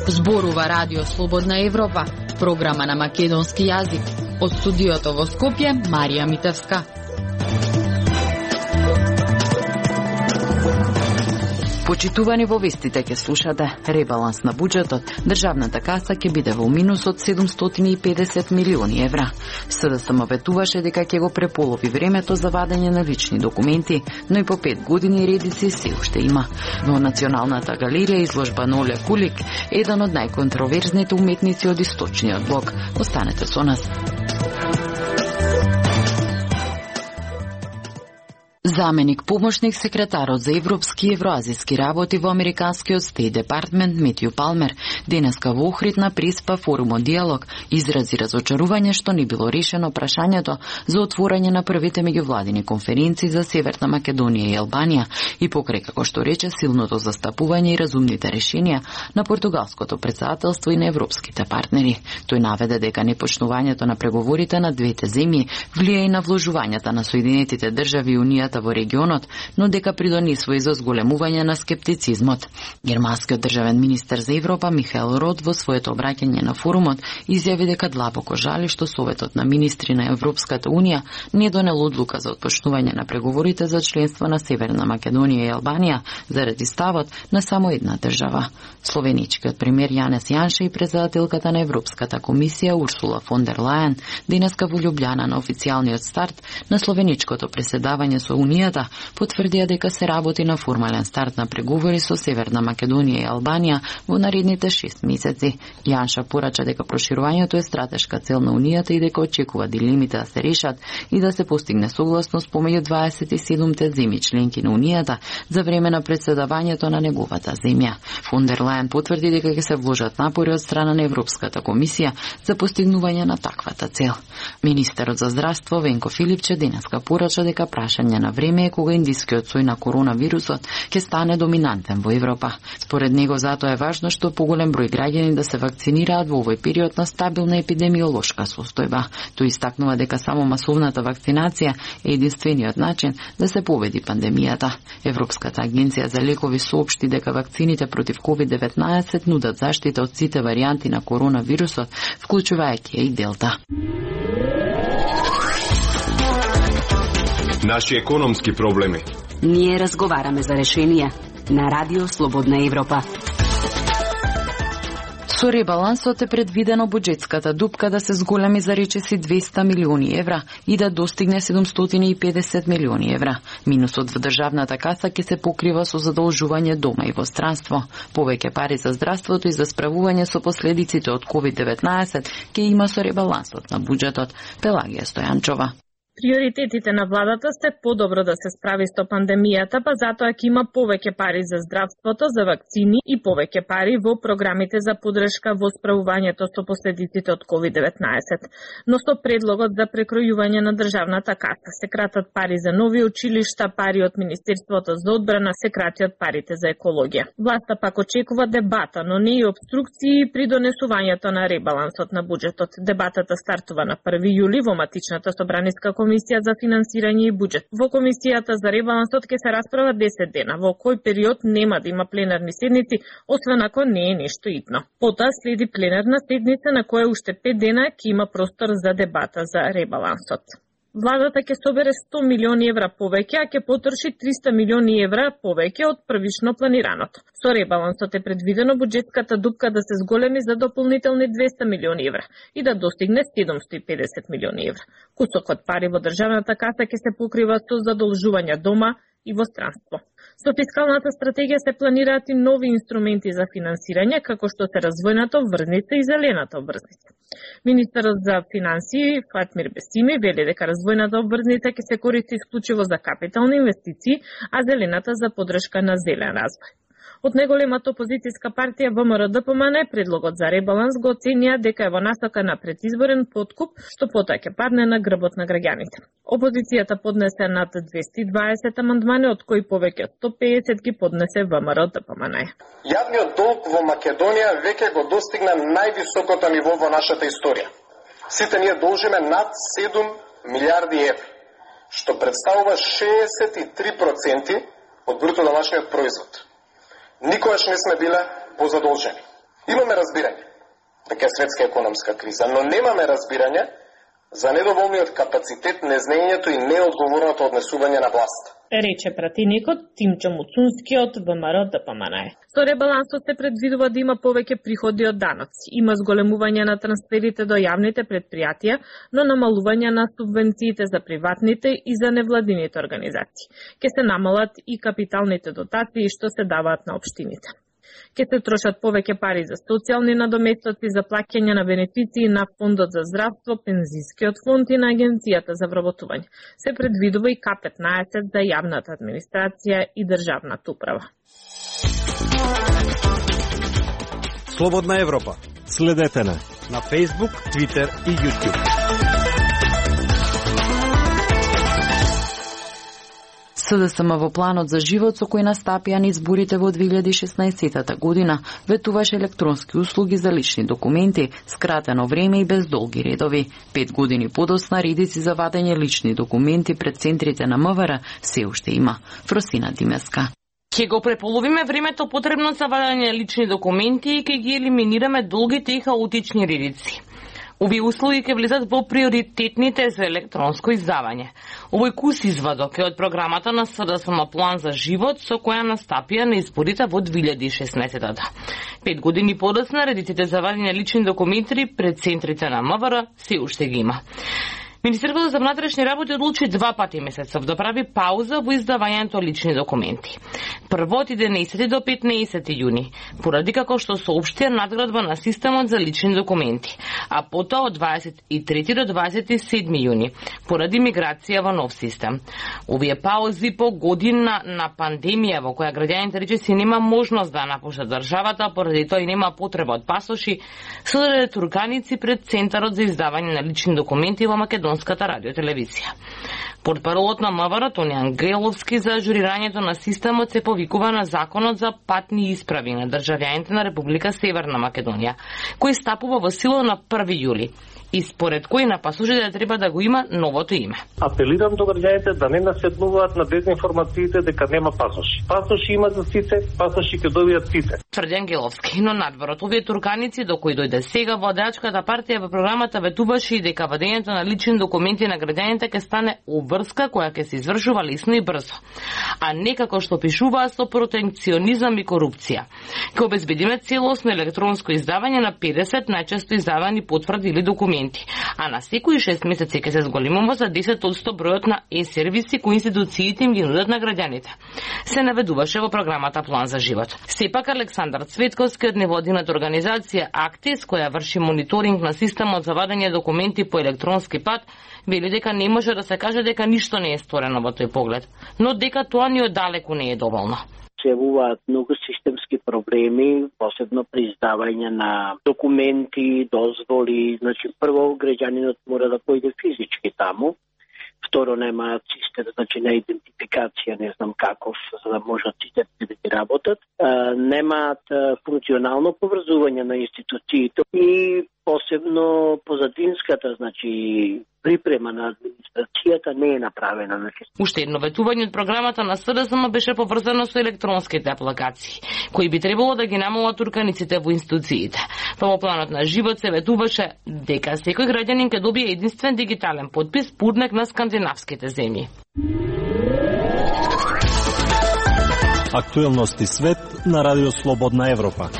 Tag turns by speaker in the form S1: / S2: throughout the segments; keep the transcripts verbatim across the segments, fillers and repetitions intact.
S1: Зборува Радио Слободна Европа, програма на македонски јазик. Од студиото во Скопје, Марија Митевска. Почитувани, во вестите ќе слушате: ребаланс на буџетот, државната каса ќе биде во минус од седумстотини и педесет милиони евра. СДСМ ветуваше дека ќе го преполови времето за вадење на лични документи, но и по пет години редици се уште има. Во Националната галерија изложба на Оле Кулик, еден од најконтроверзните уметници од источниот блок. Останете со нас. Заменик помошник секретарот за европски и евроазиски работи во американскиот Стейт Департмент Метју Палмер денеска во Охрид на Приспа форумот Диалог изрази разочарување што не било решено прашањето за отворање на првите меѓувладини конференции за Северна Македонија и Албанија и покрај, како што рече, силното застапување и разумните решенија на португалското претседателство и на европските партнери. Тој наведе дека непочнувањето на преговорите на двете земји влија и на вложувањата на Соединетите држави и Унијата во регионот, но дека придонесува и за зголемување на скептицизмот. Германскиот државен министер за Европа Михаел Рот во своето обраќање на форумот изјави дека длабоко жали што Советот на министри на Европската Унија не донел одлука за отпочнување на преговорите за членство на Северна Македонија и Албанија заради ставот на само една држава. Словеничкиот премиер Јанес Јанше и председателката на Европската комисија Урсула фон дер Лајен денеска во Љубљана на официјалниот старт на словеничкото преседавање со Унијата потврдија дека се работи на формален старт на преговори со Северна Македонија и Албанија во наредните шест месеци. Јанша порача дека проширувањето е стратешка цел на Унијата и дека очекува дилемите да се решат и да се постигне согласност помеѓу дваесет и седумте земји членки на Унијата за време на председавањето на неговата земја. Фон дер Лајен потврди дека ќе се вложат напори од страна на Европската комисија за постигнување на таквата цел. Министерот за здравство Венко Филипче денеска порача дека прашање на време е кога индискиот сој на коронавирусот ќе стане доминантен во Европа. Според него затоа е важно што поголем број граѓани да се вакцинираат во овој период на стабилна епидемиолошка состојба. Тој истакнува дека само масовната вакцинација е единствениот начин да се победи пандемијата. Европската агенција за лекови соопшти дека вакцините против ковид деветнаесет нудат заштита од сите варијанти на коронавирусот, вклучувајќи и Делта.
S2: Наши економски проблеми.
S3: Ние разговараме за решенија на Радио Слободна Европа.
S1: Со ребалансот е предвидено буџетската дупка да се зголеми за речиси двеста милиони евра и да достигне седумстотини и педесет милиони евра. Минусот во државната каса ќе се покрива со задолжување дома и во странство. Повеќе пари за здравството и за справување со последиците од ковид деветнаесет ќе има со ребалансот на буџетот. Пелагија Стојанчова.
S4: Приоритетите на владата сте подобро да се справи со пандемијата, па затоа ќе има повеќе пари за здравството, за вакцини и повеќе пари во програмите за поддршка во справувањето со последиците од ковид деветнаесет. Но со предлогот за прекројување на државната каса се кратат пари за нови училишта, пари од Министерството за одбрана, се кратат парите за екологија. Власта пак очекува дебата, но не и обструкции при донесувањето на ребалансот на буџетот. Дебатата стартува на први јули во матичната собраниска Комисија за финансирање и буџет. Во Комисијата за ребалансот ќе се расправа десет дена, во кој период нема да има пленарни седници, освен ако не е нешто итно. Потоа следи пленарна седница на која уште пет дена ќе има простор за дебата за ребалансот. Владата ќе собере сто милиони евра повеќе, а ќе потроши триста милиони евра повеќе од првично планираното. Со ребалансот е предвидено буџетската дупка да се зголеми за дополнителни двеста милиони евра и да достигне седумстотини и педесет милиони евра. Кусокот пари во државната каса ќе се покрива со задолжувања дома и во странство. Со фискалната стратегија се планираат и нови инструменти за финансирање, како што се развојната обврзница и зелената обврзница. Министерот за финансии Фатмир Бесими вели дека развојната обврзница ќе се користи исклучиво за капитални инвестиции, а зелената за поддршка на зелен развој. Од неголемата опозицијска партија ВМРО-ДПМН предлогот за ребаланс го оценија дека е во насока на предизборен подкуп, што потоа ќе падне на грбот на граѓаните. Опозицијата поднесе над двесте и дваесет амандмани, од кои повеќе од сто педесет ги поднесе ВМРО-ДПМН.
S5: Јавниот долг во Македонија веќе го достигна највисокото ниво во нашата историја.
S2: Сите ние должиме над седум милиарди евра, што представува шеесет и три проценти од бруто домашниот производ. Никогаш не сме биле позадолжени. Имаме разбирање дека е светска економска криза, но немаме разбирање за недоволниот капацитет, незнењето и неодговорното однесување на власт.
S4: Рече пратеникот Тимчо Муцунски од ВМРО Д П М Н Е. Со ребалансот се предвидува да има повеќе приходи од даноци. Има зголемување на трансферите до јавните предпријатија, но намалување на субвенциите за приватните и за невладините организации. Ке се намалат и капиталните дотации што се даваат на општините. Ке се трошат повеќе пари за социјални надоместоци, за плаќање на бенефиции на Фондот за здравство, Пензискиот фонд и на Агенцијата за вработување. Се предвидува и К петнаесет за јавната администрација и државната управа.
S5: Слободна Европа. Следете на на Facebook, Twitter и YouTube.
S1: С Д С М во планот за живот со кој настапија на изборите во две илјади и шеснаесетта година ветуваше електронски услуги за лични документи, скратено време и без долги редови. Пет години подоцна редици за вадење лични документи пред центрите на М В Р се уште има. Фросина Димеска.
S6: Ќе го преполовиме времето потребно за вадење лични документи и ќе ги елиминираме долгите и хаотични редици. Овие услуги ќе влезат во приоритетните за електронско издавање. Овој кус извадок е од програмата на С Д С М План за живот со која настапија на изборите во две илјади и шеснаесетта. Пет години подоцна редиците за вадење лични документи пред центрите на М В Р се уште ги има. Министерството за внатрешни работи одлучи два пати месецов да прави пауза во издавањето лични документи. Прво од единаесети до петнаесети јуни, поради како што соопштија надградба на системот за лични документи, а потоа од дваесет и трети до дваесет и седми јуни, поради миграција во нов систем. Овие паузи по година на пандемија во која граѓаните речиси нема можност да напуштат државата, поради тоа и нема потреба од пасоши, содаде турканици пред Центарот за издавање на лични документи во Македонската радиотелевизија. Портпаролот на М В Р Тони Ангеловски за ажурирањето на системот се повикува на Законот за патни исправи на државјаните на Република Северна Македонија, кој стапува во сила на први јули и според кој на пасажирите треба да го има новото име.
S7: Апелирам до граѓаните да не наседнуваат на дезинформациите дека нема пасоши. Пасоши има за сите, пасоши ќе добијат сите.
S6: Тврди Ангеловски, но надвор овие турканици до кои дојде сега владеачката партија во програмата ветуваше и дека вадењето на лични документи на граѓаните ќе стане обврска која ќе се извршува лесно и брзо, а не како што пишуваа со протекционизам и корупција. Ќе обезбедиме целосно електронско издавање на педесет најчесто издавани потврди или документи, а на секои шест месеци ќе се зголемува за десет одсто бројот на е-сервиси кои институциите им ги нудат на граѓаните. Се наведуваше во програмата План за живот. Сепак Александар Цветковски од невладината организација Актис, која врши мониторинг на системот за вадење документи по електронски пат, вели дека не може да се каже дека ништо не е сторено во тој поглед, но дека тоа ни оддалеку не е доволно.
S8: Се явуваат многу системски проблеми, посебно при издавање на документи, дозволи. Значи, прво, граѓанинот мора да појде физички таму. Второ, немаат систем, значи на идентификација, не знам каков, за да можат системите да ги работат. А, немаат функционално поврзување на институциите и посебно позадинската, значи припрема на администрацијата не е направена. Значи.
S6: Уште едно ветување од програмата на С Д С М беше поврзано со електронските апликации, кои би требало да ги намалат турканиците во институциите. Во планот на живот се ветуваше дека секој граѓанин ќе добие единствен дигитален потпис пурнек на скандинавските земји.
S5: Актуелности свет на Радио Слободна Европа.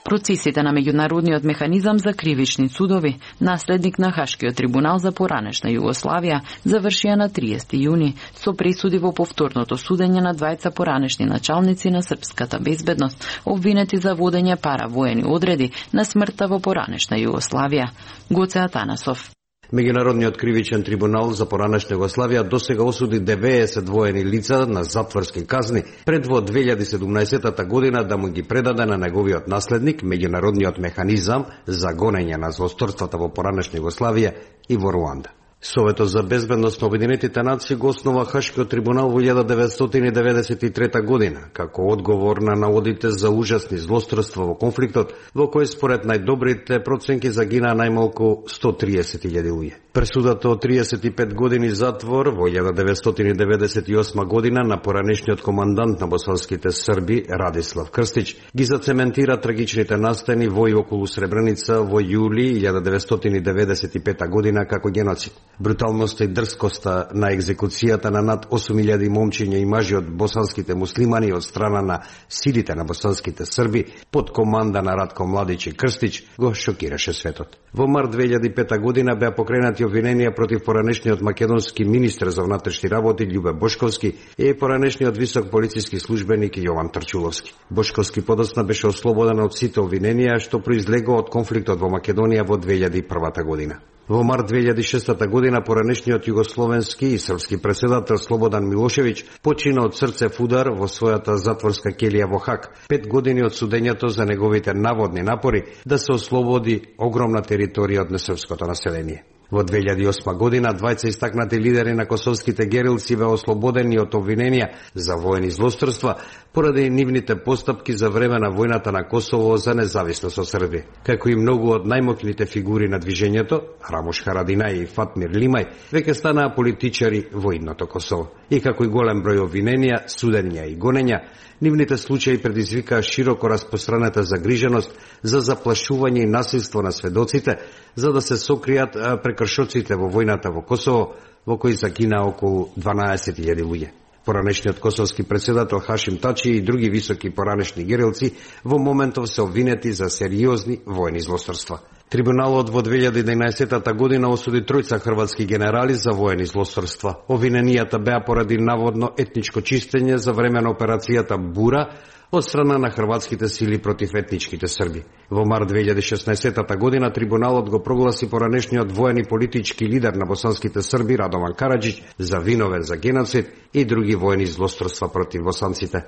S1: Процесите на меѓународниот механизам за кривични судови, наследник на Хашкиот трибунал за поранешна Југославија, завршија на триесети јуни со пресуди во повторното судење на двајца поранешни началници на српската безбедност, обвинети за водење паравоени одреди на смртта во поранешна Југославија. Гоце Атанасов.
S9: Меѓународниот кривичен трибунал за поранешна Југославија досега осуди деветдесет воени лица на затворски казни пред во две илјади и седумнаесетта година да му ги предаде на неговиот наследник Меѓународниот механизам за гонење на злосторствата во поранешна Југославија и во Руанда. Советот за безбедност на Обединетите нации го основа Хашкиот трибунал во илјада деветстотини деветдесет и трета година, како одговор на наводите за ужасни злосторства во конфликтот, во кој според најдобрите проценки загинаа најмалку сто триесет илјади луѓе. Пресудата од триесет и пет години затвор во илјада деветстотини деветдесет и осма година на поранешниот командант на босанските срби Радислав Крстич ги зацементира трагичните настани во и околу Сребреница во јули илјада деветстотини деветдесет и пета година како геноцид. Бруталноста и дрскоста на екзекуцијата на над осум илјади момчиња и мажи од босанските муслимани од страна на силите на босанските срби под команда на Радко Младич и Крстич го шокираше светот. Во март две илјади и пета година беа покренати обвиненија против поранешниот македонски министер за внатрешни работи Љубе Бошковски и поранешниот висок полициски службеник Јован Трчуловски. Бошковски подоцна беше ослободен од сите обвиненија што произлегоа од конфликтот во Македонија во две илјади и прва година. Во март две илјади и шеста година поранешниот југословенски и српски претседател Слободан Милошевиќ почина од срцев удар во својата затворска келија во Хаг, пет години од судењето за неговите наводни напори да се ослободи огромна територија од несрпското население. Во две илјади и осма година двајца истакнати лидери на косовските герилци беа ослободени од обвиненија за воени злосторства поради нивните постапки за време на војната на Косово за независност од Србија. Како и многу од најмоќните фигури на движењето, Рамош Харадинај и Фатмир Лимај, веќе станаа политичари во идното Косово. И како и голем број обвиненија, судења и гонења, нивните случаи предизвикаа широко распространета загриженост за заплашување и насилство на сведоците, за да се сокријат прекршоците во војната во Косово, во кои загинаа околу дванаесет илјади луѓе. Поранешниот косовски претседател Хашим Тачи и други високи поранешни герилци во моментов се обвинети за сериозни воени злосторства. Трибуналот во две илјади и еднаесета година осуди тројца хрватски генерали за воени злосторства. Обвиненијата беа поради наводно етничко чистење за време на операцијата Бура од страна на хрватските сили против етничките срби. Во март две илјади и шеснаесета година трибуналот го прогласи поранешниот воен и политички лидер на босанските срби Радован Караџиќ за виновен за геноцид и други воени злосторства против босанците.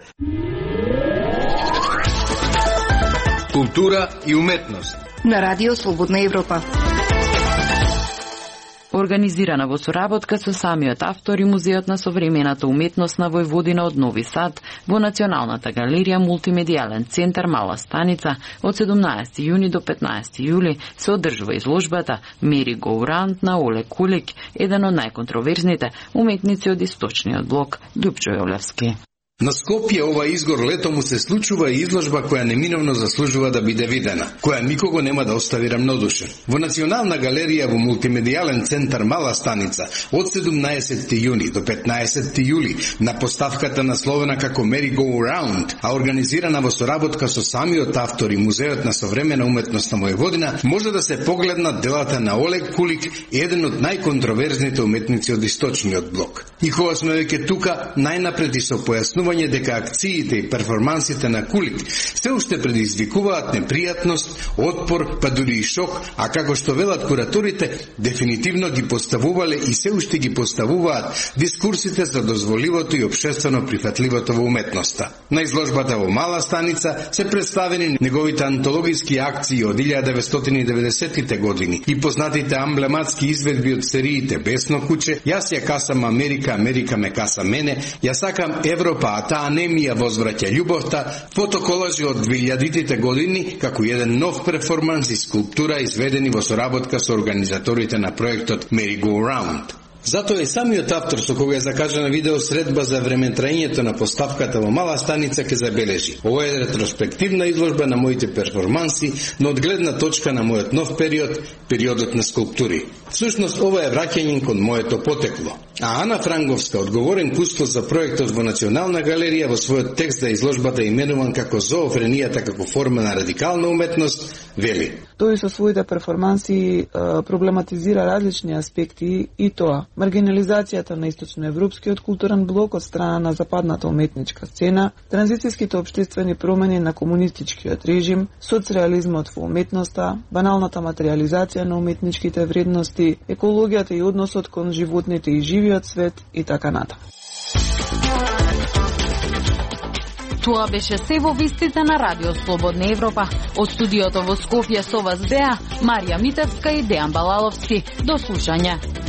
S10: Култура и уметност
S11: на Радио Слободна Европа.
S1: Организирана во соработка со самиот автор и Музеот на современата уметност на Војводина од Нови Сад во Националната галерија Мултимедијален центар Мала Станица од седумнаесети јуни до петнаесети јули се одржува изложбата Мери Го Раунд на Оле Кулик, еден од најконтроверзните уметници од источниот блок Љупчо Јолевски.
S10: На Скопје ова изгор лето му се случува изложба која неминовно заслужува да биде видена, која никого нема да остави рамнодушен. Во Национална галерија во Мултимедијален центар Мала Станица од седумнаесети јуни до петнаесети јули на поставката насловена како Merry Go Round, а организирана во соработка со самиот автор и Музеот на современа уметност на Војводина, може да се погледнат делата на Олег Кулик, еден од најконтроверзните уметници од источниот блок. И кога сме веќе тука, најнапред и со појаснување дека акциите и перформансите на Кулик се уште предизвикуваат непријатност, отпор, па дури и шок, а како што велат кураторите, дефинитивно ги поставувале и се уште ги поставуваат дискурсите за дозволивото и општествено прифатливото во уметноста. На изложбата во Мала Станица се представени неговите антологиски акции од илјада деветстотини и деветдесетите години и познатите амблематски изведби од сериите Бесно куче, Јас ја касам Америка, Америка ме каса мене, Ја сакам Европа, а таа не ми ја возвраќа љубовта, фотоколажи од двилјадитите години како еден нов перформанс и скулптура изведени во соработка со организаторите на проектот Merry Go Round. Затоа и самиот автор со кога е закажана видео средба за времетраењето на поставката во Мала Станица ке забележи. Ова е ретроспективна изложба на моите перформанси, но од гледна точка на мојот нов период, периодот на скулптури. Всушност, ова е враќање кон моето потекло. А Ана Франговска, одговорен кустос за проектот во Национална галерија, во својот текст за изложбата именуван како зоофренијата како форма на радикална уметност, вели:
S12: Тој со своите перформанси проблематизира различни аспекти и тоа маргинализацијата на источноевропскиот културен блок од страна на западната уметничка сцена, транзицијските општествени промени на комунистичкиот режим, соцреализмот во уметноста, баналната материјализација на уметничките вредности, екологијата и односот кон животните и живиот свет и така натаму.
S1: Тоа беше се во вестите на Радио Слободна Европа. Од студиото во Скопје со вас беа Марија Митевска и Дејан Балаловски. До слушање.